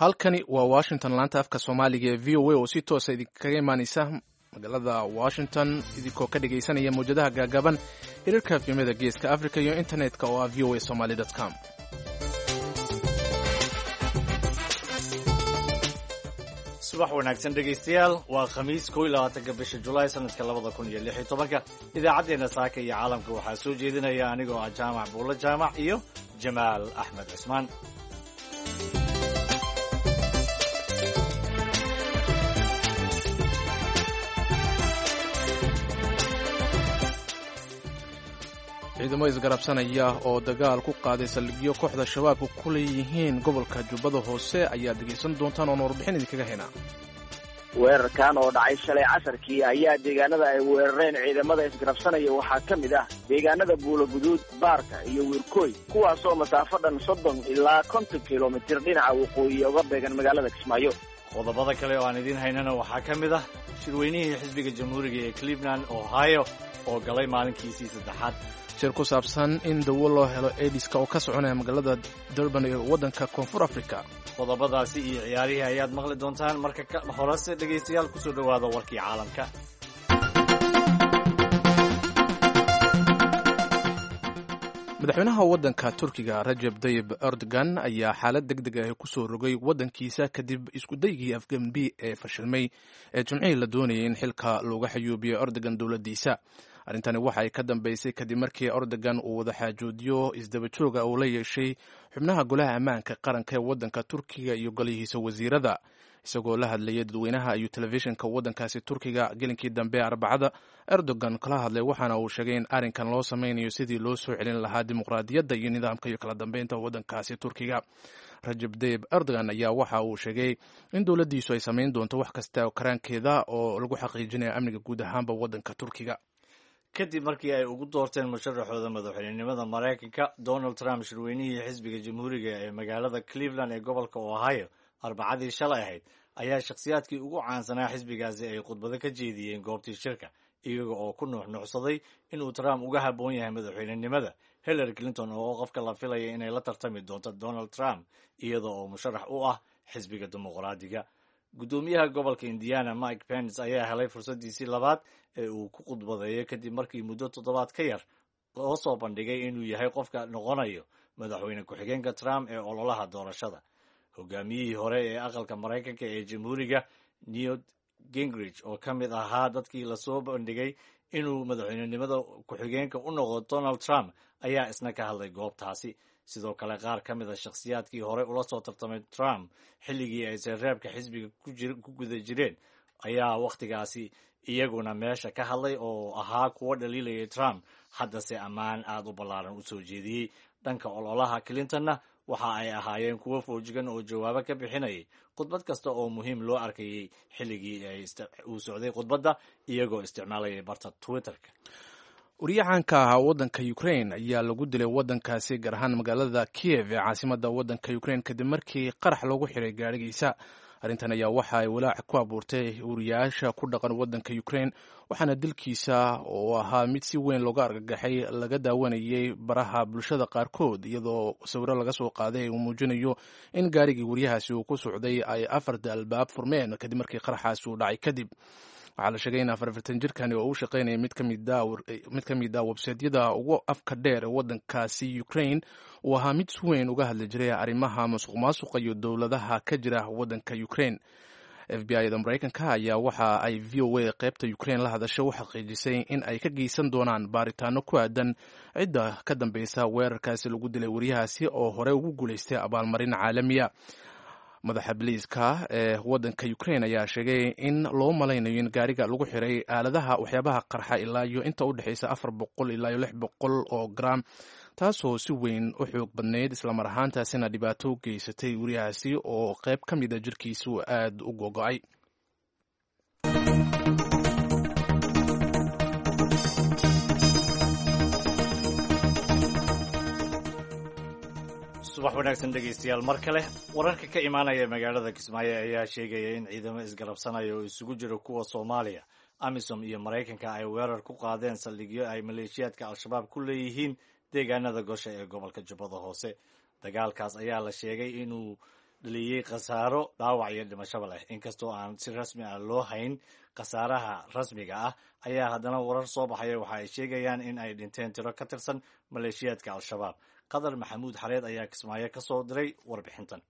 Halkani waa Washington, laanta afka Soomaaliga ee VOA oo si toosa idinkaga imaaneysa magaalada Washington, idinkoo ka dhegaysanaya mawjadaha gaagaaban, hirarka efemyada Geeska Africa iyo internetka oo ah voasomali com. Subax wanaagsan, dhegaystayaal. Waa Khamiis, 21-ka bisha Julaay, sanadka 2016-ka. Idaacaddeenna saaka iyo caalamka waxaa soo jeedinaya anigoo ah Jaamac Buulo Jaamac iyo Jamaal Axmed Cismaan. Ciidamo isgarabsanaya oo dagaal ku qaaday saldhigyo kooxda Shabaabka ku leeyihiin gobolka Jubbada Hoose ayaad dhegaysan doontaan oon warbixin idinkaga haynaa. Weerarkan oo dhacay shalay casarkii ayaa deegaanada ay weerareen ciidamada isgarabsanaya waxaa ka mid ah deegaanada Buulo Guduud, Baarka iyo Wiirkooy, kuwaasoo masaafo dhan 30 ilaa 50 kilomitir dhinaca waqooyi uga beegan magaalada Kismaayo. Qodobada kale oo aan idiin haynana waxaa ka mid ah shirweynihii xisbiga Jamhuuriga ee Cleveland, Ohio, oo galay maalinkiisii saddexaad. Shir ku saabsan in dawo loo helo Aidiska oo ka soconaya magaalada Durban ee waddanka Koonfur Africa. Qodobadaasi iyo ciyaarihii ayaad maqli doontaan. Marka ka horese, dhegaystayaal, kusoo dhowaada warkii caalamka. Madaxweynaha waddanka Turkiga Rajab Dayib Erdogan ayaa xaalad deg deg ah kusoo rogay waddankiisa kadib iskudaygii afgembi ee fashilmay ee Jimcihii la doonayay in xilka looga xayuubiyo Erdogan dowladdiisa. Arrintani waxa ay ka dambeysay kadib markii Erdogan uu wadaxaajoodyo isdaba jooga uu la yeeshay xubnaha golaha ammaanka qaranka ee waddanka Turkiga iyo golihiisa wasiirada. Isagoo la hadlayay dadweynaha ayuu telefishinka waddankaasi Turkiga gelinkii dambe Arbacada Erdogan kala hadlay, waxaana uu sheegay in arrinkan loo sameynayo sidii loo soo celin lahaa dimuqraadiyadda iyo nidaamka iyo kala dambeynta waddankaasi Turkiga. Rajab Dayib Erdogan ayaa waxa uu sheegay in dowladdiisu ay samayn doonto wax kasta oo karaankeeda oo lagu xaqiijinayo amniga guud ahaanba waddanka Turkiga. Kadib markii ay ugu doorteen musharaxooda madaxweynenimada Maraykanka Donald Trump shirweynihii xisbiga Jamhuuriga ee magaalada Cleveland ee gobolka Ohio Arbacadii shalay ahayd, ayaa shakhsiyaadkii ugu caansanaa xisbigaasi ay khudbado ka jeediyeen goobtii shirka, iyaga oo ku nuuxnuuxsaday inuu Trump uga habboon yahay madaxweynenimada Hillary Clinton, oo qofka la filaya inay la tartami doonto Donald Trump iyada oo musharax u ah xisbiga Dimuqraadiga. Guddoomiyaha gobolka Indiana Mike Pence ayaa helay fursadiisii labaad ee uu ku khudbadeeyo, kadib markii muddo toddobaad ka yar loo soo bandhigay inuu yahay qofka noqonayo madaxweyne ku-xigeenka Trump ee ololaha doorashada. Hogaamiyihii hore ee aqalka Maraykanka ee Jamhuuriga Newt Gingrich, oo ka mid ahaa dadkii lasoo bandhigay inuu madaxweynenimada ku-xigeenka u noqdo Donald Trump, ayaa isna ka hadlay goobtaasi. Sidoo kale, qaar ka mid a shakhsiyaadkii hore ula soo tartamay Trump xilligii ay sereebka xisbiga ku guda jireen ayaa wakhtigaasi iyaguna meesha ka hadlay, oo ahaa kuwo dhaliilayay Trump, haddase ammaan aada u ballaaran u soo jeediyey. Dhanka ololaha Clintonna waxa ay ahaayeen kuwo foojigan oo jawaabo ka bixinayay khudbad kasta oo muhiim loo arkayay xilligii uu socday khudbadda, iyagoo isticmaalayay barta Twitterka. Wariyahanka ahaa waddanka Ukraine ayaa lagu dilay waddankaasi, gaar ahaan magaalada Kiev ee caasimadda waddanka Ukraine, kadib markii qarax loogu xiray gaadhigiisa. Arrintan ayaa waxa ay walaac ku abuurtay wariyaasha ku dhaqan waddanka Ukraine, waxaana dilkiisa oo ahaa mid si weyn looga argagaxay laga daawanayay baraha bulshada qaarkood, iyadoo sawiro laga soo qaaday uu muujinayo in gaarigii wariyahaasi uu ku socday ay afarta albaab furmeen kadib markii qaraxaasi uu dhacay. Kadib waxaa la sheegay in 44 jirkani oo u shaqaynaya mid ka mid a websaytyada ugu afka dheer ee waddankaasi Ukraine uu ahaa mid si weyn uga hadli jiray arrimaha masuq maasuqa iyo dowladaha ka jira waddanka Ukraine. FBI da Maraykanka ayaa waxa ay VOA qaybta Ukraine la hadashay u xaqiijisay in ay ka geysan doonaan baaritaano ku aadan cidda ka dambeysa weerarkaasi lagu dilay wariyahaasi oo hore ugu guulaystay abaalmarin caalamiya. Madaxa biliiska ee waddanka Ukraine ayaa sheegay in loo malaynayo in gaariga lagu xiray aaladaha waxyaabaha qarxa ilaa iyo inta u dhexaysa 400 ilaa iyo 600 oo gram, taasoo si weyn u xoog badnayd, islamar ahaantaasina dhibaato u geysatay wariyahaasi oo qayb ka mida jirkiisu aada u gogo-ay. Subax wanaagsan, dhegaystayaal, mar kale. Wararka ka imaanaya magaalada Kismaayo ayaa sheegaya in ciidamo isgarabsanaya oo isugu jira kuwa Soomaaliya, AMISOM iyo Maraykanka ay weerar ku qaadeen saldhigyo ay maleeshiyaadka Al-Shabaab ku leeyihiin deegaanada Gosha ee gobolka Jubbada Hoose. Dagaalkaas ayaa la sheegay inuu dhaliyey khasaaro dhaawac iyo dhimashaba leh. Inkastoo aan si rasmi ah loo hayn khasaaraha rasmiga ah, ayaa haddana warar soo baxaya waxa ay sheegayaan in ay dhinteen tiro ka tirsan maleeshiyaadka Al-Shabaab. Qadar Maxamuud Xareed ayaa Kismaayo ka soo diray warbixintan.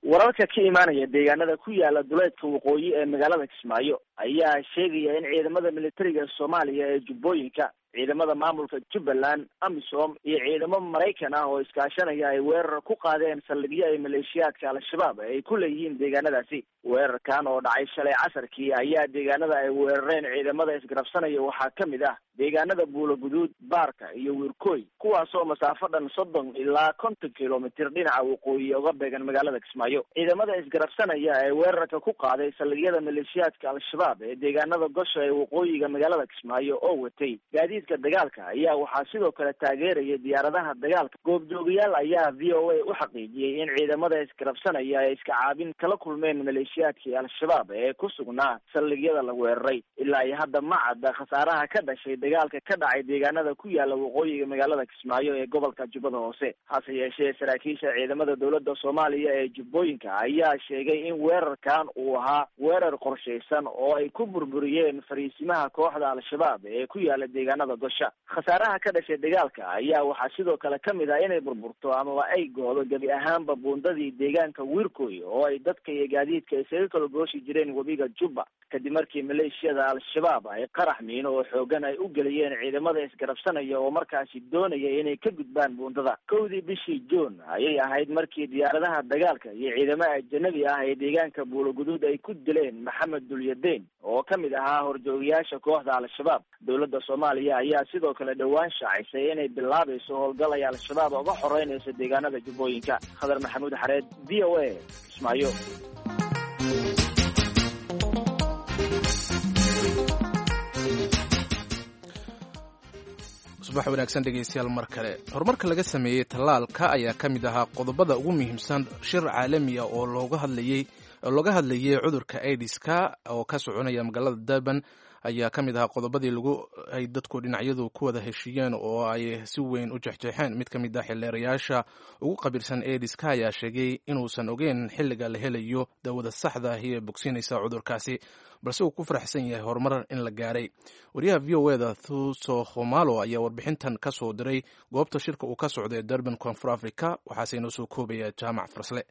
Wararka ka imaanaya deegaanada ku yaala duleedka waqooyi ee magaalada Kismaayo ayaa sheegaya in ciidamada militariga Soomaaliya ee Jubbooyinka, ciidamada maamulka Jubbaland, AMISOM iyo ciidamo Maraykan ah oo iskaashanaya ay weerar ku qaadeen saldhigyo ay maleeshiyaadka Al-Shabaab ay ku leeyihiin deegaanadaasi. Weerarkan oo dhacay shalay casarkii ayaa deegaanada ay weerareen ciidamada isgarabsanaya waxaa ka mid ah deegaanada Buulo Guduud, Baarka iyo Wiirkooy, kuwaasoo masaafo dhan 30 ilaa 50 kilomitir dhinaca waqooyi uga beegan magaalada Kismaayo. Ciidamada isgarabsanaya ee weerarka ku qaaday saldhigyada maleeshiyaadka Al-Shabaab ee deegaanada Gosha ee waqooyiga magaalada Kismaayo oo watay gaadiidka dagaalka ayaa waxaa sidoo kale taageeraya diyaaradaha dagaalka. Goobjoogayaal ayaa VOA u xaqiijiyey in ciidamada isgarabsanaya ay iska caabin kala kulmeen maleeshiyaadkii Al-Shabaab ee ku sugnaa saldhigyada la weeraray. Ilaa iyo hadda ma cadda khasaaraha ka dhashay dagaalka ka dhacay deegaanada ku yaala waqooyiga magaalada Kismaayo ee gobolka Jubbada Hoose. Hase yeeshee, saraakiisha ciidamada dowladda Soomaaliya ee Jubbooyinka ayaa sheegay in weerarkan uu ahaa weerar qorshaysan oo ay ku burburiyeen fariisimaha kooxda Al-Shabaab ee ku yaala deegaanada Gosha. Khasaaraha ka dhashay dagaalka ayaa waxaa sidoo kale ka mid ah inay burburto amaba ay goodo gebi ahaanba buundadii deegaanka Wiirkoy oo ay dadka iyo gaadiidka isaga kala gooshi jireen webiga Jubba, kadib markii maleeshiyada Al-Shabaab ay qarax miino oo xoogan ay u geliyeen ciidamada isgarabsanaya oo markaasi doonaya inay ka gudbaan buundada. 1dii bishii Juun ayay ahayd markii diyaaradaha dagaalka iyo ciidamo ajanabi ah ee deegaanka Buuloguduud ay ku dileen Maxamed Dulyadeen oo ka mid ahaa horjoogayaasha kooxda Al-Shabaab. Dowladda Soomaaliya ayaa sidoo kale dhowaan shaacisay inay bilaabayso howlgal ay Al-Shabaab uga xoreynayso deegaanada Jubbooyinka. Khadar Maxamuud Xareed, VOA, Kismaayo. Subax wanaagsan, dhegeystayaal, mar kale. Horumarka laga sameeyey tallaalka ayaa ka mid ahaa qodobada ugu muhiimsan shir caalami ah oo looga hadlayay cudurka aidiska oo ka soconaya magaalada Durban. Ayaa ka mid ahaa qodobadii lagu ay dadku dhinacyadu ku wada heshiiyeen oo ay si weyn u jeexjeexeen. Mid ka mid ah xildheerayaasha ugu qabiilsan aidiska ayaa sheegay inuusan ogeyn xilliga la helayo daawada saxda ahi ee bogsiinaysa cudurkaasi, balse uu ku faraxsan yahay horumar in la gaaray. Wariyaha VOA da Thuso Khumalo ayaa warbixintan ka soo diray goobta shirka uu ka socday Durban, Koonfur Africa. Waxaase inoo soo koobaya Jaamac Farsle.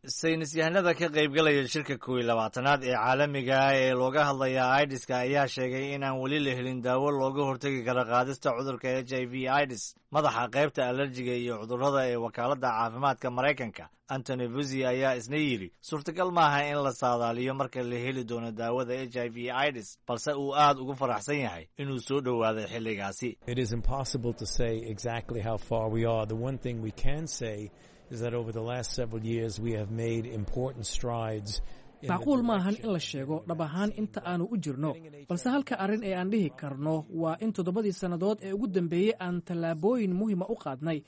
Saynis yahanada ka qaybgalaya shirka 21aad ee caalamiga ah ee looga hadlaya aidiska ayaa sheegay inaan weli la helin daawo looga hortegi karo qaadista cudurka HIV AIDS. Madaxa qaybta alerjiga iyo cudurrada ee wakaaladda caafimaadka Maraykanka, Anthony Fauci, ayaa isna yidhi suurtagal maaha in la saadaaliyo marka la heli doono daawada HIV AIDS, balse uu aad ugu faraxsan yahay inuu soo dhowaaday xilligaasi. It is impossible to say exactly how far we are. The one thing we can say is that over the last several years we have made important strides. Macquul maahan in la sheego dhab ahaan inta aanu u jirno, balse halka arrin ee aan dhihi karno waa in 7dii sannadood ee ugu dambeeyey aan tallaabooyin muhiima u qaadnay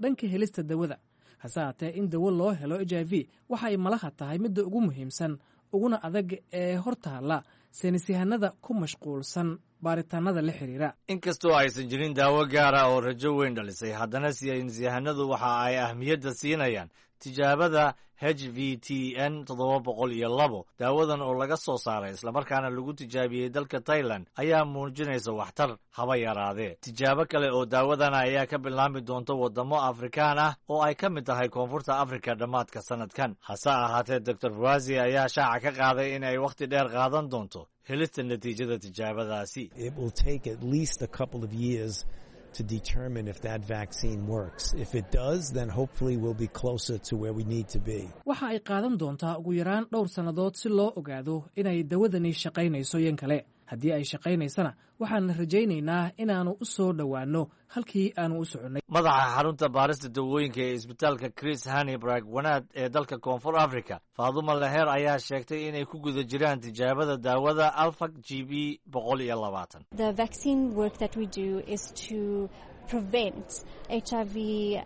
dhanka helista dawada. Hase haatee, in dawo loo helo HIV waxa ay malaha tahay midda ugu muhiimsan uguna adag ee hor taalla saynisyahanada ku mashquulsan baaritaanada la xiriira. Inkastoo aysan jirin daawo gaara oo rajo weyn dhalisay, haddana saynisyahanadu waxa ay ahmiyadda siinayaan tijaabada HVTN 702. Daawadan oo laga soo saaray islamarkaana lagu tijaabiyey dalka Tailand ayaa muujinaysa waxtar haba yaraadee. Tijaabo kale oo daawadana ayaa ka bilaami doonta waddamo Afrikaan ah oo ay ka mid tahay Koonfurta Afrika dhammaadka sanadkan. Hase ahaatee, Doctor Fauci ayaa shaaca ka qaaday in ay wakhti dheer qaadan doonto helista natiijada tijaabadaasi. It will take at least a couple of years to determine if that vaccine works. If it does, then hopefully we'll be closer to where we need to be. Waxa ay qaadan doontaa ugu yaraan dhowr sannadood si loo ogaado inay dawadani shaqaynayso yan kale. Haddii ay shaqaynaysana, waxaan rajaynaynaa inaannu u soo dhowaanno halkii aanu u soconnay. Madaxa xarunta baarista dawooyinka ee isbitaalka Chris Hani Baragwanath ee dalka Koonfur Africa, Faaduma Leher, ayaa sheegtay inay ku guda jiraan tijaabada daawada Alfa GB 120. Prevent HIV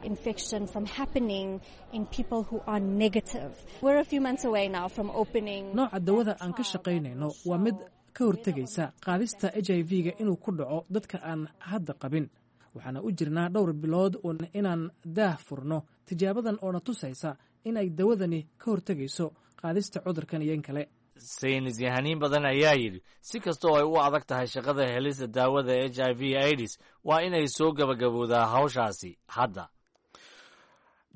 infection from happening in people who are negative. We're a few months away now from opening. Nooca dawada aan ka shaqaynayno waa mid ka hortegaysa qaadista HIV-ga inuu ku dhaco dadka aan hadda qabin. Waxaana u jirnaa dhowr bilood inaan daah furno tijaabadan oo na tusaysa in ay dawadani ka hortegayso qaadista cudurkan iyo in kale. Saynis yahaniin badan ayaa yidhi si kasta oo ay u adag tahay shaqada helista daawada HIV AIDS, waa inay soo gabagabowdaa hawshaasi hadda.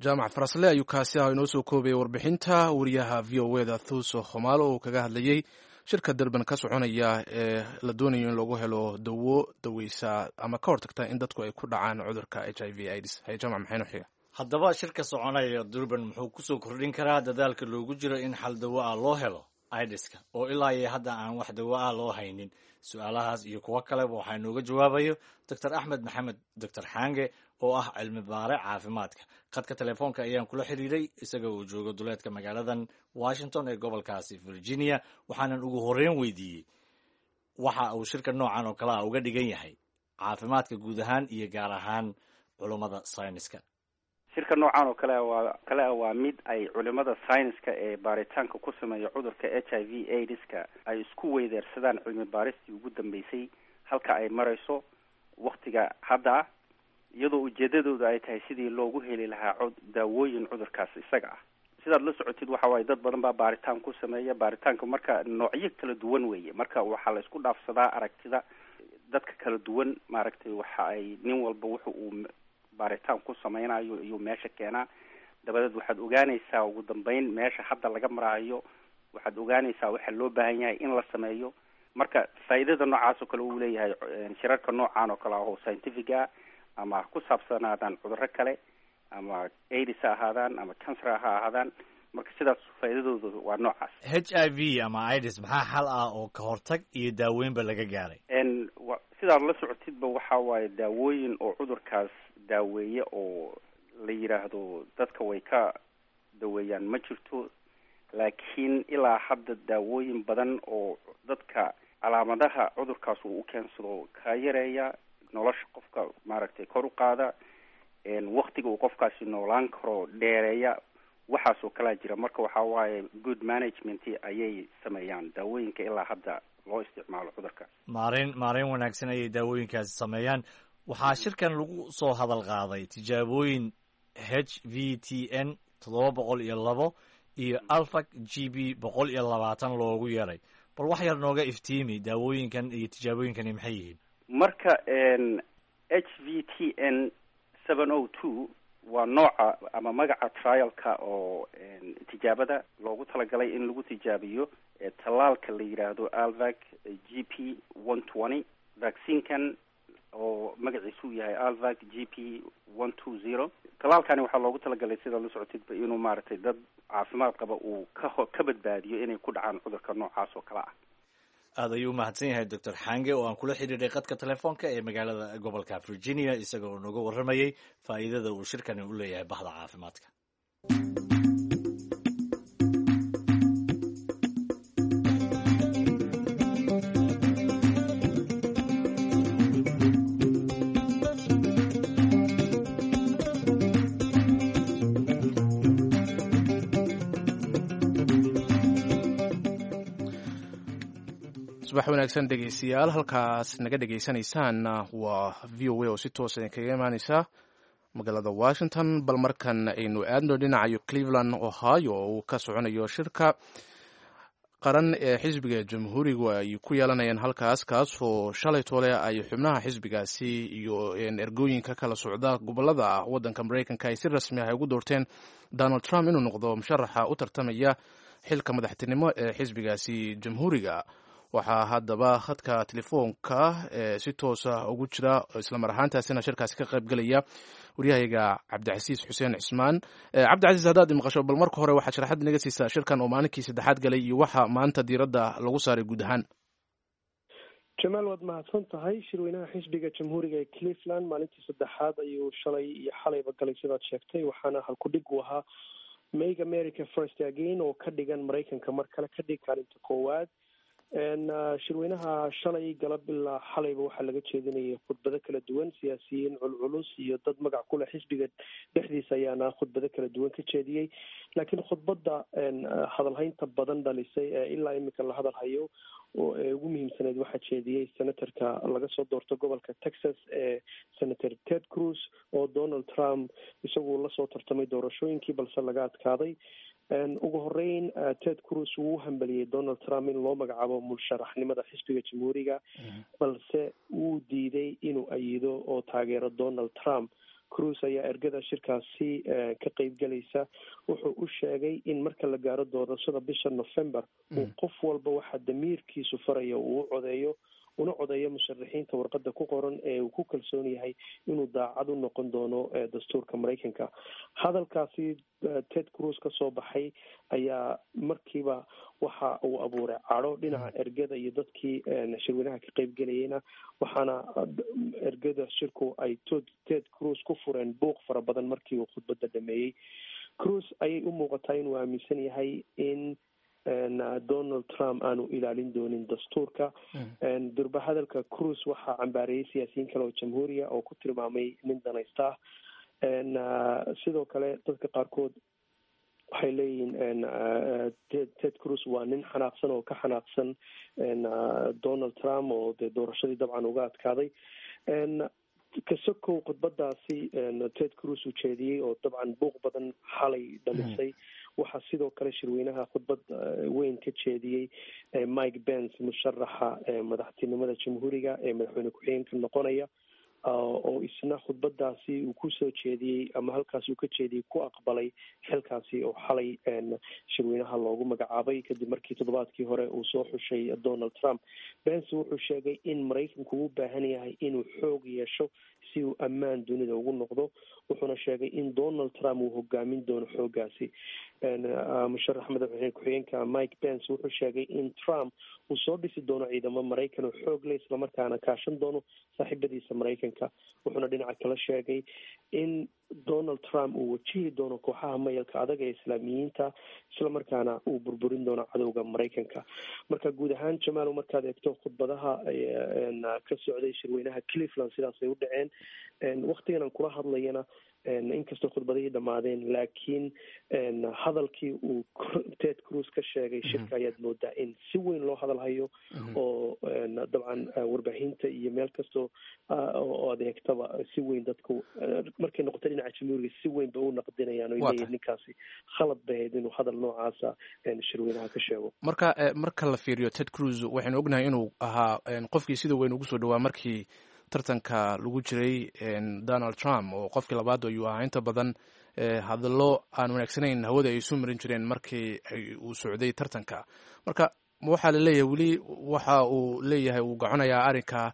Jaamac Farasle ayuu kaasi ah inoo soo koobayay warbixinta wariyaha VOA da Thuso Khomaalo oo kaga hadlayey shirka Durban ka soconaya ee la doonayo in lagu helo dawo daweysa ama ka hortagta in dadku ay ku dhacaan cudurka HIV AIDS. Haye Jaamac, maxaynu xiga? Haddaba shirka soconaya Durban muxuu kusoo kordhin karaa dadaalka loogu jiro in xal dawo ah loo helo aidiska oo ilaa iyo hadda aan wax dawo ah loo haynin? Su-aalahaas iyo kuwo kaleba waxaa inooga jawaabayo Doctor Axmed Maxamed Doctor Xaange oo ah cilmi baare caafimaadka. Khadka telefoonka ayaan kula xiriiray isaga oo jooga duleedka magaaladan Washington ee gobolkaasi Virginia, waxaanan ugu horreyn weydiiyey waxa uu shirka noocan oo kale ah uga dhigan yahay caafimaadka guud ahaan iyo gaar ahaan culummada sayniska. Shirka noocan oo kale waa kale ah waa mid ay culimada sayniska ee baaritaanka ku sameeya cudurka HIV AIDS-ka ay isku weydeersadaan cilmi baaristii ugu dambeysay halka ay marayso waktiga hadda ah, iyadoo ujeedadooda ay tahay sidii loogu heli lahaa daawooyin cudurkaas isaga ah. Sidaad la socotid, waxa waaye dad badan baa baaritaan ku sameeya. Baaritaanka marka noocyo kala duwan weeye. Marka waxaa la isku dhaafsadaa aragtida dadka kala duwan, maaragtay, waxa ay nin walba wuxa uu baaritaan ku sameynayo iyuu meesha keenaa. Dabadeed waxaad ogaanaysaa ugu dambeyn meesha hadda laga maraayo, waxaad ogaanaysaa waxa loo baahan yahay in la sameeyo. Marka faa'iidada noocaas oo kale uu leeyahay shirarka noocan oo kale ah oo scientific ah, ama ha ku saabsanaadaan cudurro kale, ama AIDS ha ahaadaan ama cancer ha ahaadaan, marka sidaas faa'iidadoodu waa noocaas. HIV ama AIDS maxaa xal ah oo ka hortag iyo daaweynba laga gaaray? Sidaad la socotidba, waxa waaye daawooyin oo cudurkaas daaweeye oo la yidhaahdo dadka way ka daweeyaan ma jirto, laakiin ilaa hadda daawooyin badan oo dadka calaamadaha cudurkaas uu u keensado ka yareeya, nolosha qofka maaragtay kor u qaada, waktiga uu qofkaasi noolaan karo dheereeya, waxaas oo kalaa jira. Marka waxa waaye good management ayay sameeyaan daawooyinka ilaa hadda loo isticmaalo cudurkaas. Maareyn wanaagsan ayay daawooyinkaasi sameeyaan. Waxaa shirkan lagu soo hadal qaaday tijaabooyin HVTN 702 iyo Alfac GB 120 loogu yeeray. Bal wax yar nooga iftiimi daawooyinkan iyo tijaabooyinkani maxay yihiin? Marka HVTN 702 waa nooca ama magaca trialka oo tijaabada loogu talagalay in lagu tijaabiyo tallaalka la yidhaahdo Alvac GP 120. Vaccinekan oo magaciisu yahay Alvac GP 120, tallaalkani waxaa loogu talagalay, sidaa la socotidba, inuu maaragtay dad caafimaad qaba uu ka badbaadiyo inay ku dhacaan cudurka noocaas oo kale ah. Aad ayuu umahadsan yahay Doctor Xange oo aan kula xidhiidhay khadka telefoonka ee magaalada gobolka Virginia, isaga oo nooga warramayey faa'iidada uu shirkani u leeyahay bahda caafimaadka. Subax wanaagsan dhegeystayaal, halkaas naga dhegeysanaysaan waa VOA oo si toosa idinkaga imaaneysa magaalada Washington. Bal markan aynu aadno dhinacayo Cleveland, Ohio, oo uu ka soconayo shirka qaran ee xisbiga Jamhuurigu ay ku yeelanayaan halkaas, kaasoo shalay toole ay xubnaha xisbigaasi iyo ergooyinka kala socda gobolada waddanka Mareykanka ay si rasmi ah ay ugu doorteen Donald Trump inuu noqdo musharaxa u tartamaya xilka madaxtinimo ee xisbigaasi Jamhuuriga. Waxaa haddaba khadka telefoonka ee si toosa ugu jira, islamar ahaantaasina shirkaasi ka qayb gelaya, waryahayga Cabdicasiis Xuseen Cismaan. Cabdicasiis, haddaad imaqasho, bal marka hore waxaad sharaxad inaga siisaa shirkan oo maalinkii saddexaad galay iyo waxa maanta diiradda lagu saaray guud ahaan. Jamaal, waad mahadsan tahay. Shirweynaha xisbiga Jamhuuriga ee Cleveland maalintii saddexaad ayuu shalay iyo xalayba galay, sidaad sheegtay, waxaana halkudhig u ahaa "Make America First Again", oo ka dhigan Maraykanka mar kale ka dhig kaalinta koowaad. Shirweynaha shalay galab ilaa xalayba waxaa laga jeedinayay khudbado kala duwan. Siyaasiyiin culculus iyo dad magac ku leh xisbiga dhexdiisa ayaa Ayaana khudbado kala duwan ka jeediyey, laakiin khudbadda hadalhaynta badan dhalisay ee ilaa iminka la hadalhayo oo ee ugu muhiimsaneyd waxaa jeediyey senatorka laga soo doorto gobolka Texas ee Senator Ted Cruz, oo Donald Trump isagu lasoo tartamay doorashooyinkii balse laga adkaaday. Ugu horeyn, Ted Cruz wuu u hambaliyey Donald Trump in loo magacaabo musharaxnimada xisbiga Jamhuuriga, balse wuu diiday inuu ayido oo taageero Donald Trump. Cruz ayaa ergada shirkaasi ka qeybgelaysa wuxuu u sheegay in marka la gaaro doorashada bisha November uu qof walba waxa damiirkiisu faraya uu u codeeyo, una codeeyo musharaxiinta warqadda ku qoran ee uu ku kalsoon yahay inuu daacad u noqon doono dastuurka Maraykanka. Hadalkaasi Ted Cruz ka soo baxay ayaa markiiba waxa uu abuuray cadho dhinaca ergada iyo dadkii shirweynaha ka qeybgelayeyna, waxaana ergada shirku ay Ted Cruz ku fureen buuq fara badan markii uu khudbadda dhameeyey. Cruz ayay u muuqataa inuu aaminsan yahay in Donald Trump aanu ilaalin doonin dastuurka. Durba hadalka Cruz waxaa cambaareeyey siyaasiyiin kale oo Jamhuuriya oo ku tilmaamay nin danaysta ah. Sidoo kale, dadka qaarkood waxay leeyihiin Ted Cruz waa nin xanaaqsan oo ka xanaaqsan Donald Trump oo dee doorashadii dabcan uga adkaaday. Kasokow khudbadaasi Ted Cruz uu jeediyey oo dabcan buuq badan xalay dhalisay, waxaa sidoo kale shirweynaha khudbad weyn ka jeediyey Mike Pence, musharaxa madaxtinimada Jamhuuriga ee madaxweyne ku-xigeenka noqonaya, oo isna khudbadaasi uu kusoo jeediyey ama halkaasi uu ka jeediyey ku aqbalay xilkaasi oo xalay shirweynaha loogu magacaabay, kadib markii toddobaadkii hore uu soo xushay Donald Trump. Pence wuxuu sheegay in Maraykanku u baahan yahay inuu xoog yeesho si uu ammaan dunida ugu noqdo, wuxuuna sheegay in Donald Trump uu hogaamin doono xoogaasi. Musharax madaxweyne ku-xigeenka Mike Pence wuxuu sheegay in Trump uu soo dhisi doono ciidamo Maraykan oo xoog leh, islamarkaana kaashan doono saaxiibadiisa Maraykanka. Wuxuuna dhinaca kale sheegay in Donald Trump uu wajihi doono kooxaha mayalka adag ee Islaamiyiinta, islamarkaana uu burburin doono cadowga Maraykanka. Marka guud ahaan, Jamaal, markaad eegto khudbadaha ka socday shirweynaha Cleveland, sidaasay u dhaceen. Waktigan aan kula hadlayana, inkastoo khudbadihii dhammaadeen, laakiin hadalkii uu Ted Cruz ka sheegay shirka ayaad moodaa in si weyn loo hadalhayo, oo dabcan warbaahinta iyo meel kastoo oo aad eegtaba si weyn dadku, markay noqoto dhinaca Jamhuuriga, si weyn bay u naqdinayaan oo leeyihin ninkaasi khalad bay ahayd inuu hadal noocaasa shirweynaha ka sheego. Marka la fiiriyo Ted Cruz, waxaynu ognahay inuu ahaa qofkii sida weyn ugu soo dhawaa markii tartanka lagu jiray Donald Trump, oo qofkii labaad ayuu ahaa. Inta badan hadallo aan wanaagsanayn hawada ay isu marin jireen markii uu socday tartanka. Marka waxaa la leeyahay weli waxa uu leeyahay uu gaconayaa arrinka,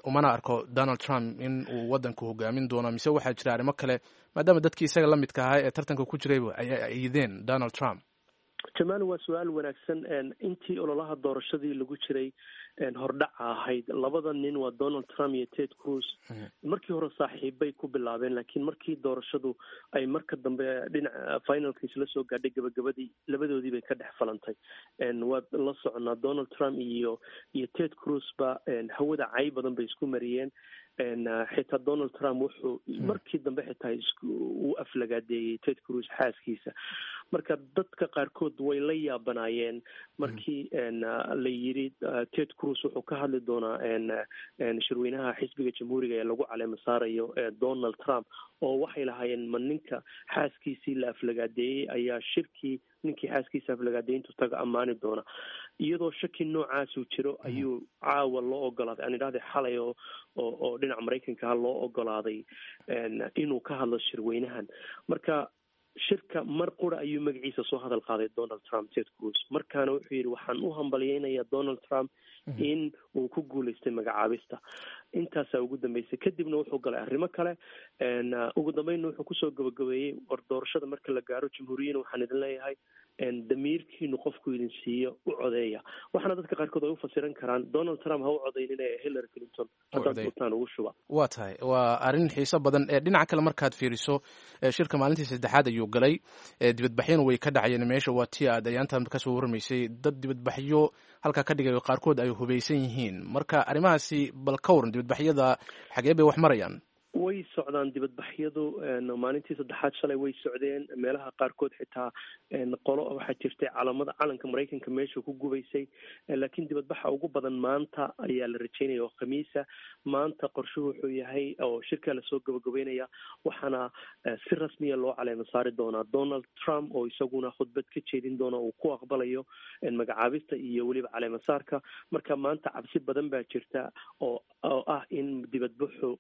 umana arko Donald Trump in uu waddanku hogaamin doono, mise waxaa jira arrimo kale, maadaama dadkii isaga la midka ahaa ee tartanka ku jirayba ay ayideen Donald Trump? Jamaal, waa su-aal wanaagsan. Intii ololaha doorashadii lagu jiray hordhaca ahayd, labada nin waa Donald Trump iyo Ted Cruz, markii hore saaxiibbay ku bilaabeen, laakiin markii doorashadu ay marka dambe dhinaca finalka isla soo gaadhay, gabagabadii, labadoodii bay ka dhex falantay. Waad la soconaa, Donald Trump iyo Ted Cruz ba hawada cay badan bay isku mariyeen. Xitaa Donald Trump wuxuu markii dambe xitaa uu aflagaadeeyey Ted Cruz xaaskiisa. Marka dadka qaarkood way la yaabanaayeen markii la yiri Ted Cruz wuxuu ka hadli doonaa shirweynaha xisbiga Jamhuuriga ee lagu caleema saarayo Donald Trump, oo waxay lahaayeen, ma ninka xaaskiisii la aflagaadeeyey ayaa shirkii ninkii xaaskiisa aflagaadeeyintu taga ammaani doona? Iyadoo shaki noocaasuu jiro ayuu caawa loo ogolaaday, aan idhahday xalay, oo dhinaca Maraykanka ha loo ogolaaday inuu ka hadlo shirweynahan. Marka shirka mar qura ayuu magaciisa soo hadal qaaday Donald Trump, Ted Cruz. Markaana wuxuu yidhi, waxaan u hambalyeynayaa Donald Trump in uu ku guulaystay magacaabista. Intaasaa ugu dambeysay. Kadibna wuxuu galay arrimo kale. Ugu dambeynna wuxuu kusoo gabagabeeyey, war doorashada marka la gaaro, Jamhuuriyiin, waxaan idin leeyahay damiirkiinu qofku idin siiyo u codeeya. Waxaana dadka qaarkood ay u fasiran karaan, Donald Trump ha u codaynina ee Hillary Clinton haddaad doontaan ugu shuba. Waa tahay, waa arrin xiiso badan. Dhinaca kale markaad fiiriso, shirka maalintii saddexaad ayuu galay, dibadbaxyana way ka dhacayeen meesha. Waa tii aad ayaantan kasoo warramaysay, dad dibadbaxyo halkaa ka dhigayo, qaarkood ay hubaysan yihiin. Marka arrimahaasi bal ka waran, dibadbaxyada xagee bay wax marayaan? Way socdaan dibadbaxyadu, maalintii saddexaad shalay way socdeen. Meelaha qaarkood xitaa qolo waxaa jirtay calamada calanka Maraykanka meesha ku gubaysay, laakiin dibadbaxa ugu badan maanta ayaa la rajeynaya oo Khamiisa. Maanta qorshuhu wuxuu yahay oo shirkaa lasoo gabagabeynaya, waxaana si rasmiya loo caleema saari doonaa Donald Trump, oo isaguna khudbad ka jeedin doona uu ku aqbalayo magacaabista iyo weliba caleema saarka. Marka maanta cabsi badan baa jirta oo ah in dibadbaxu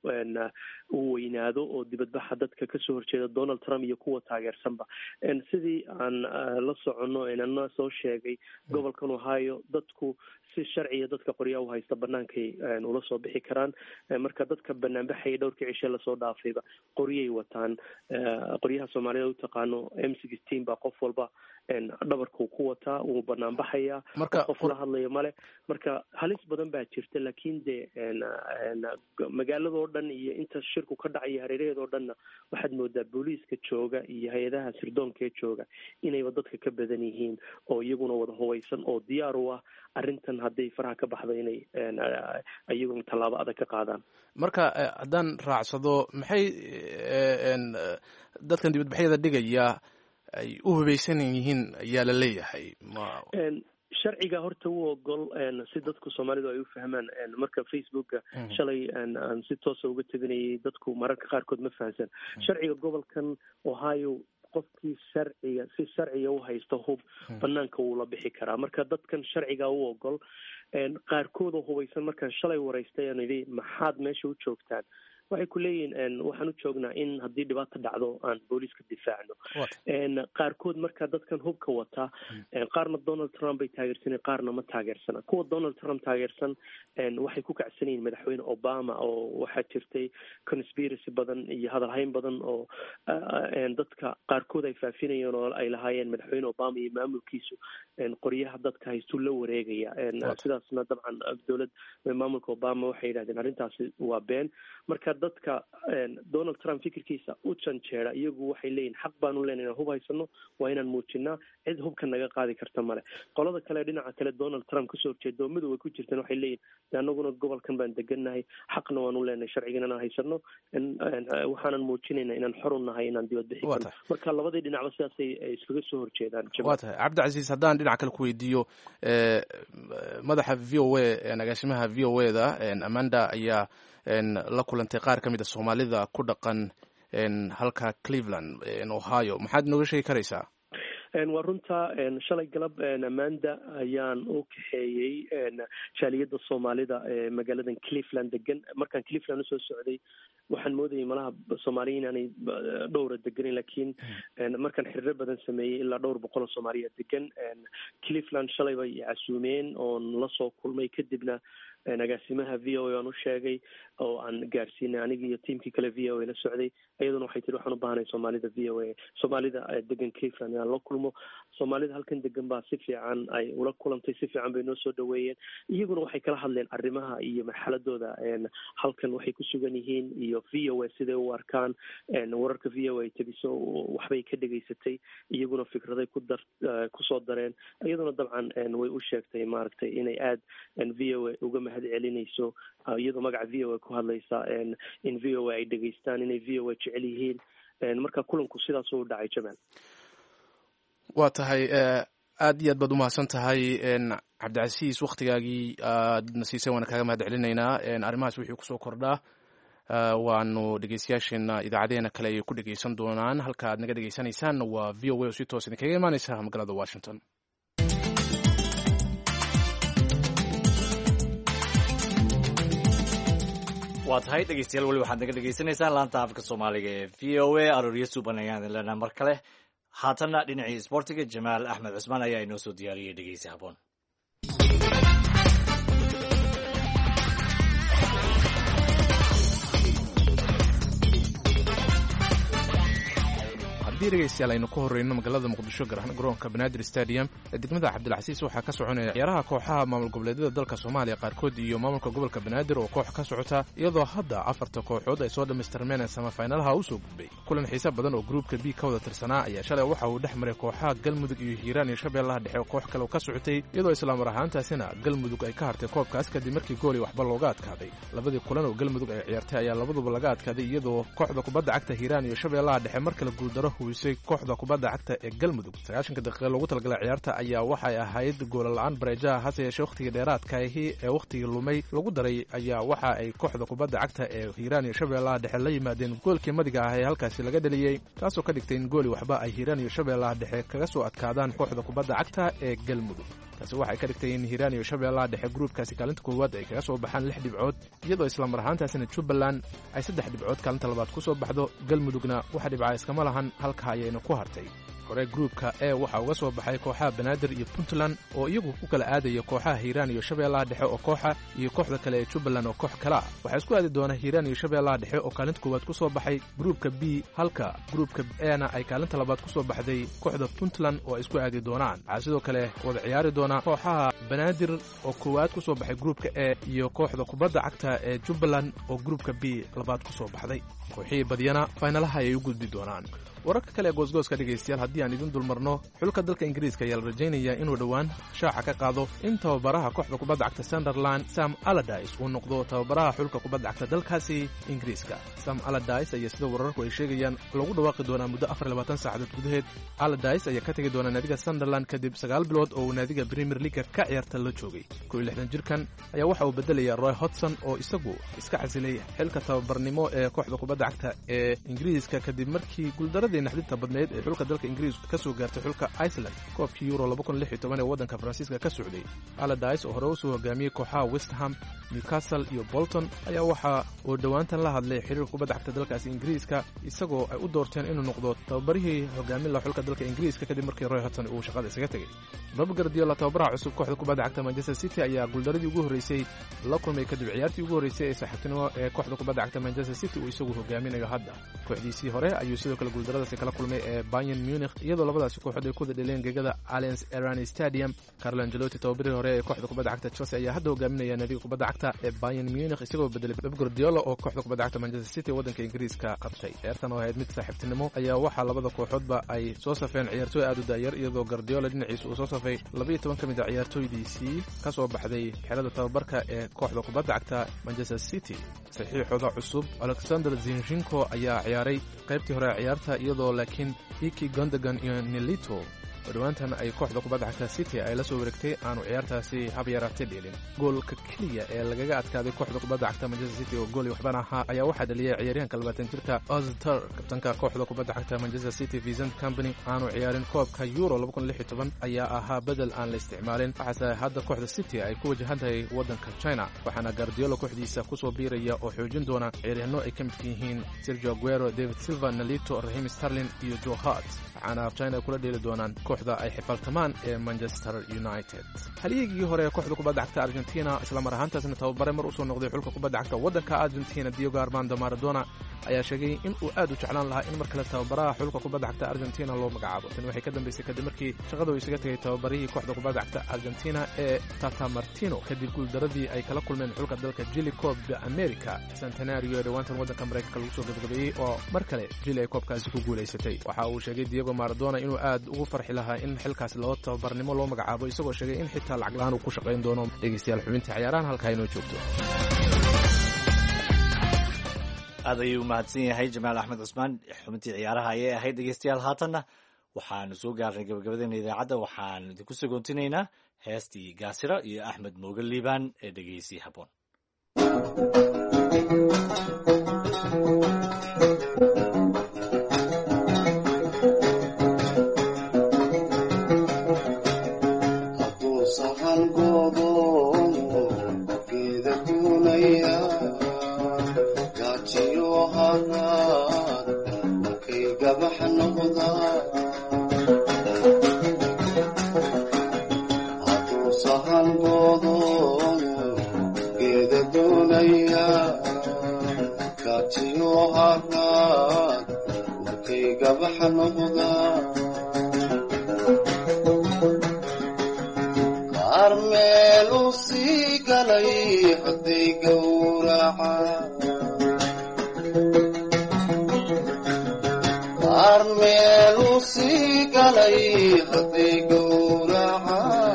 uu weynaado, oo dibadbaxa dadka kasoo horjeeda Donald Trump iyo kuwa taageersanba. Sidii aan la soconno, ana soo sheegay, gobolkan Ohio dadku si sharciya dadka qoryaa u haysta banaankay ula soo bixi karaan. Marka dadka banaanbaxaya dhowrkii cishe lasoo dhaafayba qoryay wataan, qoryaha Soomaalida u taqaano M16 baa qof walba dhabarkuu ku wataa, wuu banaanbaxayaa, qof la hadlayo male. Marka halis badan baa jirta, laakiin dee magaaladoo dhan iyo inta shirku ka dhacaya hareeraheedoo dhanna waxaad moodaa booliiska jooga iyo hay-adaha sirdoonkaee jooga inayba dadka ka badan yihiin, oo iyaguna wada hubaysan oo diyaar u ah arrintan hadday faraha ka baxdo inay iyaguna tallaabo adag ka qaadaan. Marka haddaan raacsado, maxay dadkan dibadbaxyada dhigaya ay u hubaysan yihiin ayaa la leeyahay? Sharciga horta u ogol, si dadku Soomaalidu ay u fahmaan. Marka Facebooka shalay aan si toosa uga teginayay, dadku mararka qaarkood ma fahamsan sharciga gobolkan Ohio. Qofkii sharciga si sharciga u haysta hub banaanka wuu la bixi karaa. Marka dadkan sharciga u ogol qaarkood oo hubaysan, markaan shalay waraystay aan idhi maxaad meesha u joogtaan, waxay ku leeyihiin waxaan u joognaa in haddii dhibaata dhacdo aan booliiska difaacno. Qaarkood marka dadkan hubka wata, qaarna Donald Trump bay taageersaneen, qaarna ma taageersana. Kuwa Donald Trump taageersan waxay ku kacsan yihiin madaxweyne Obama, oo waxaa jirtay conspiracy badan iyo hadalhayn badan oo dadka qaarkood ay faafinayeen oo ay lahaayeen madaxweyne Obama iyo maamulkiisu qoryaha dadka haystuu la wareegaya. Sidaasna dabcan dowlad maamulka Obama waxay yidhahdeen arrintaasi waa been. Marka dadka Donald Trump fikirkiisa u janjeera iyagu waxay leeyihin xaq baanu leenahay inaan hub haysano, waa inaan muujinaa, cid hubka naga qaadi karta male. Qolada kale, dhinaca kale Donald Trump kasoo horjeeda oo midowga ku jirtan, waxay leeyihin de anaguna gobolkan baan degannahay, xaqna waanu leenahay sharcigan inaan haysano, waxaanan muujinayna inaan xor u nahay inaan dibad bixi karno. Marka labadii dhinacba sidaasay iskaga soo horjeedaan. Waa tahay, Cabdicasiis. Haddaan dhinaca kale ku weydiiyo, madaxa VOA, agaasimaha VOA da Amanda ayaa la kulantay qaar ka mid a Soomaalida ku dhaqan halka Cleveland, Ohio. Maxaad nooga sheegi karaysaa? Waa runta, shalay galab Amanda ayaan u kaxeeyey jaaliyadda Soomaalida ee magaaladan Cleveland degan. Markaan Cleveland usoo socday waxaan moodayay malaha Soomaaliya inaanay dhowra deganin, laakiin markaan xiriiro badan sameeyey ilaa dhowr boqol oo Soomaaliya degan Cleveland. Shalay bay casuumeen oon lasoo kulmay, kadibna agaasimaha VOA aan u sheegay oo aan gaarsiinay aniga iyo tiimkii kale VOA la socday. Iyaduna waxay tiri waxaan u baahanay Soomaalida VOA, Soomaalida degan Cleveland inaan la kulmo. Soomaalida halkan degan baa si fiican ay ula kulantay, si fiican bay noo soo dhaweeyeen. Iyaguna waxay kala hadleen arrimaha iyo marxaladooda halkan waxay ku sugan yihiin iyo VOA siday u arkaan wararka VOA tabiso. Waxbay ka dhegaysatay, iyaguna fikraday ku dar kusoo dareen. Iyaduna dabcan way u sheegtay maaragtay inay aada VOA uga mahad celinayso, iyadoo magaca VOA ku hadlaysa, in VOA ay dhegaystaan, inay VOA jecel yihiin. Marka kulanku sidaas u dhacay, Jamaal. Waa tahay, aad iyo aad baad umahadsan tahay Cabdicasiis, waktigaagii aadna siisay waana kaaga mahad celinaynaa. Arrimahaas wixii kusoo kordhaa waanu dhegeystayaasheena idaacadeena kale ayay ku dhegeysan doonaan. Halka aad naga dhegeysanaysaan waa VOA oo si toos idinkaga imaaneysa magaalada Washington. Waa tahay dhegeystayaal, weli waxaad naga dhegeysanaysaan laanta afka Soomaaliga ee VOA. Arooryo suuban ayaan idin leenaha mar kale. Haatanna dhinacii isboortiga, Jamaal Axmed Cusmaan ayaa inoo soo diyaariyey dhegeysi haboon. Haddii dhegaystayaal aynu ku horreyno magaalada Muqdisho, gaar ahaan garoonka Banaadir Stadium ee degmada Cabdilcasiis, waxaa ka soconaya ciyaaraha kooxaha maamul goboleedyada dalka Soomaaliya qaarkood iyo maamulka gobolka Banaadir oo koox ka socota, iyadoo hadda afarta kooxood ay soo dhammaystirmeen ee samafaynalaha u soo gudbay. Kulan xiise badan oo gruubka B ka wada tirsanaa ayaa shalay waxa uu dhex maray kooxaha Galmudug iyo Hiiraan iyo Shabeellaha Dhexe oo koox kale ka socotay, iyadoo islaamar ahaantaasina Galmudug ay ka hartay koobkaas kadib markii gooli waxba looga adkaaday. Labadii kulan oo Galmudug ay ciyaartay ayaa labaduba laga adkaaday, iyadoo kooxda kubadda cagta Hiiraan iyo Shabeellaha Dhexe mar kale guuldaro huwisay kooxda kubadda cagta ee Galmudug. 90-ka daqiiqa loogu talagalay ciyaarta ayaa waxay ahayd goola la-aan bareejaha, hase yeeshee wakhtigii dheeraadkaahi ee wakhtigii lumay lagu daray ayaa waxa ay kooxda kubadda cagta ee Hiiraan iyo Shabeellaha Dhexe la yimaadeen goolkii madiga ah ee halkaasi laga dheliyey, taasoo ka dhigtay in gooli waxba ay Hiiraan iyo Shabeellaha Dhexe kaga soo adkaadaan kooxda kubadda cagta ee Galmudug. Taasi waxay ka dhigtay in Hiiraan iyo Shabeellaha Dhexe gruubkaasi kaalinta koowaad ay kaga soo baxaan lix dhibcood, iyadoo islamar ahaantaasina Jubbaland ay saddex dhibcood kaalinta labaad ku soo baxdo. Galmudugna wax dhibca iskama lahan, halka ayayna ku hartay. Hore gruubka E waxaa uga soo baxay kooxaha Banaadir iyo Puntland oo iyagu ku kala aadaya kooxaha Hiiraan iyo Shabeellaha Dhexe oo kooxa iyo kooxda kale ee Jubbaland oo koox kale ah. Waxaa isku aadi doona Hiiraan iyo Shabeellaha Dhexe oo kaalinta koowaad ku soo baxay gruubka B, halka gruubka E-na ay kaalinta labaad ku soo baxday kooxda Puntland oo ay isku aadi doonaan. Waxaa sidoo kale wada ciyaari doona kooxaha Banaadir oo koowaad ku soo baxay gruubka E iyo kooxda kubadda cagta ee Jubbaland oo gruubka B labaad ku soo baxday. Kooxihii badiyana faynalaha ayay u gudbi doonaan. Wararka kale ee goosgooska dhegaystayaal, haddii aan idin dulmarno, xulka dalka Ingiriiska ayaa la rajaynayaa inuu dhowaan shaaca ka qaado in tababaraha kooxda kubadda cagta Sunderland Sam Allardyce uu noqdo tababaraha xulka kubadda cagta dalkaasi Ingiriiska. Sam Allardyce ayaa sida wararku ay sheegayaan lagu dhawaaqi doonaa muddo 24 saacadood gudaheed. Allardyce ayaa ka tegi doona naadiga Sunderland kadib 9 bilood oo uu naadiga Premier League ka ciyaarta la joogay. 61 jirkan ayaa waxa uu bedelaya Roy Hodgson oo isagu iska casilay xilka tababarnimo ee kooxda kubadda cagta ee Ingiriiska kadib markii guuldaradii naxdinta badneyd ee xulka dalka Ingiriiska ka soo gaartay xulka Iceland koobkii Euro ee waddanka Faransiiska ka socday. Allardyce oo hore usoo hogaamiyey kooxaha West Ham, Newcastle iyo Bolton ayaa waxa uu dhowaantan la hadlay xiriirka kubadda cagta dalkaasi Ingiriiska, isagoo ay u doorteen inuu noqdo tababarihii hogaamin laha xulka dalka Ingiriiska kadib markii Roy Hodgson uu shaqada isaga tegey. Pep Guardiola, tababaraha cusub kooxda kubadda cagta Manchester City, ayaa guuldaradii ugu horreysay la kulmay kadib ciyaartii ugu horreysay ee saaxiibtinimo ee kooxda kubadda cagta Manchester City uu isagu hogaaminayo hadda. Kooxdiisii hore ayuu sidoo kale guuldaradaasi kala kulmay ee Bayern Munich, iyadoo labadaasi kooxood ay ku wada dheleen gegada Allianz Arena Stadium. Carlo Ancelotti, tababarihii hore ee kooxda kubadda cagta Chelsea, ayaa hadda hogaaminaya naadiga kubadda cagta ee Bayern Munich, isagoo bedelay Pep Guardiola oo kooxda kubadda cagta Manchester City waddanka Ingiriiska qabtay. Ciyaartan oo ahayd mid saaxiibtinimo ayaa waxaa labada kooxoodba ay soo safeen ciyaartooy aad u daayar, iyadoo Guardiola dhinaciisa uu soo safay 12 ka mid a ciyaartooydiisii ka soo baxday xerada tababarka ee kooxda kubadda cagta Manchester City. Saxiixooda cusub Alexander Zinchenko ayaa ciyaaray qaybtii hore ee ciyaarta, iyadoo laakiin Iki Gundogan iyo Nolito oo dhowaantan ay kooxda kubadda cagta City ay la soo wareegtay aanu ciyaartaasi hab yaraatay dheelin. Goolka keliya ee lagaga adkaaday kooxda kubadda cagta Manchester City oo gool iyo waxbana ahaa ayaa waxaa dhaliyay ciyaaryahanka 20 jirka Ozturk. Kabtanka kooxda kubadda cagta Manchester City Vincent Kompany aanu ciyaarin koobka Euro ayaa ahaa bedel aan la isticmaalin. Waxaase hadda kooxda City ay ku wajahan tahay waddanka China, waxaana Guardiola kooxdiisa kusoo biiraya oo xoojin doona ciyaaryahanno ay ka midka yihiin Sergio Aguero, David Silva, Nolito, Raheem Sterling iyo Joe Hart, waxaana China kula dheeli doonaan kooxda ay xifaltamaan ee Manchester United. Halyeegii hore ee kooxda kubadda cagta Argentina, islamar ahaantaasna tababare mar usoo noqday xulka kubadda cagta waddanka Argentina, Diego Armando Maradona, ayaa sheegay in uu aad u jeclaan lahaa in mar kale tababaraha xulka kubadda cagta Argentina loo magacaabo. Tani waxay ka dambeysay kadib markii shaqada uu isaga tegay tababarihii kooxda kubadda cagta Argentina ee Tata Martino kadib guuldaradii ay kala kulmeen xulka dalka Chile Copa America Centenario ee dhowaantan waddanka Maraykanka lagu soo gabagabeeyey oo mar kale Chile ay koobkaasi ku guulaysatay. Waxa uu sheegay Diego Maradona inuu aad ugu farxi lahaa in xilkaasi loo tababarnimo loo magacaabo, isagoo sheegay in xitaa lacag la'aan uu ku shaqayn doono. Dhegeystayaal, xubinta ciyaarahan halkaa inoo joogto. Aad ayuu umahadsan yahay Jamaal Axmed Cusmaan. Xubintii ciyaaraha ayay ahayd. Dhegeystayaal, haatanna waxaanu soo gaarnay gabagabadeena idaacadda. Waxaan idinku sagoontinaynaa heestii Gaasira iyo Axmed Mooge Liibaan ee dhegeysi habboon. Hadduu sahan goodoomo geeda duunaya, gaajiyo haraad markay gabax noqdaa. Hadduu sahan goodoomo geeda duunaya, gaajiyo haraad. Markay gabaxa noqdaan qaar meel u sii galay hadday gowracaan, qaar meel u sii galay hadday gowracaan.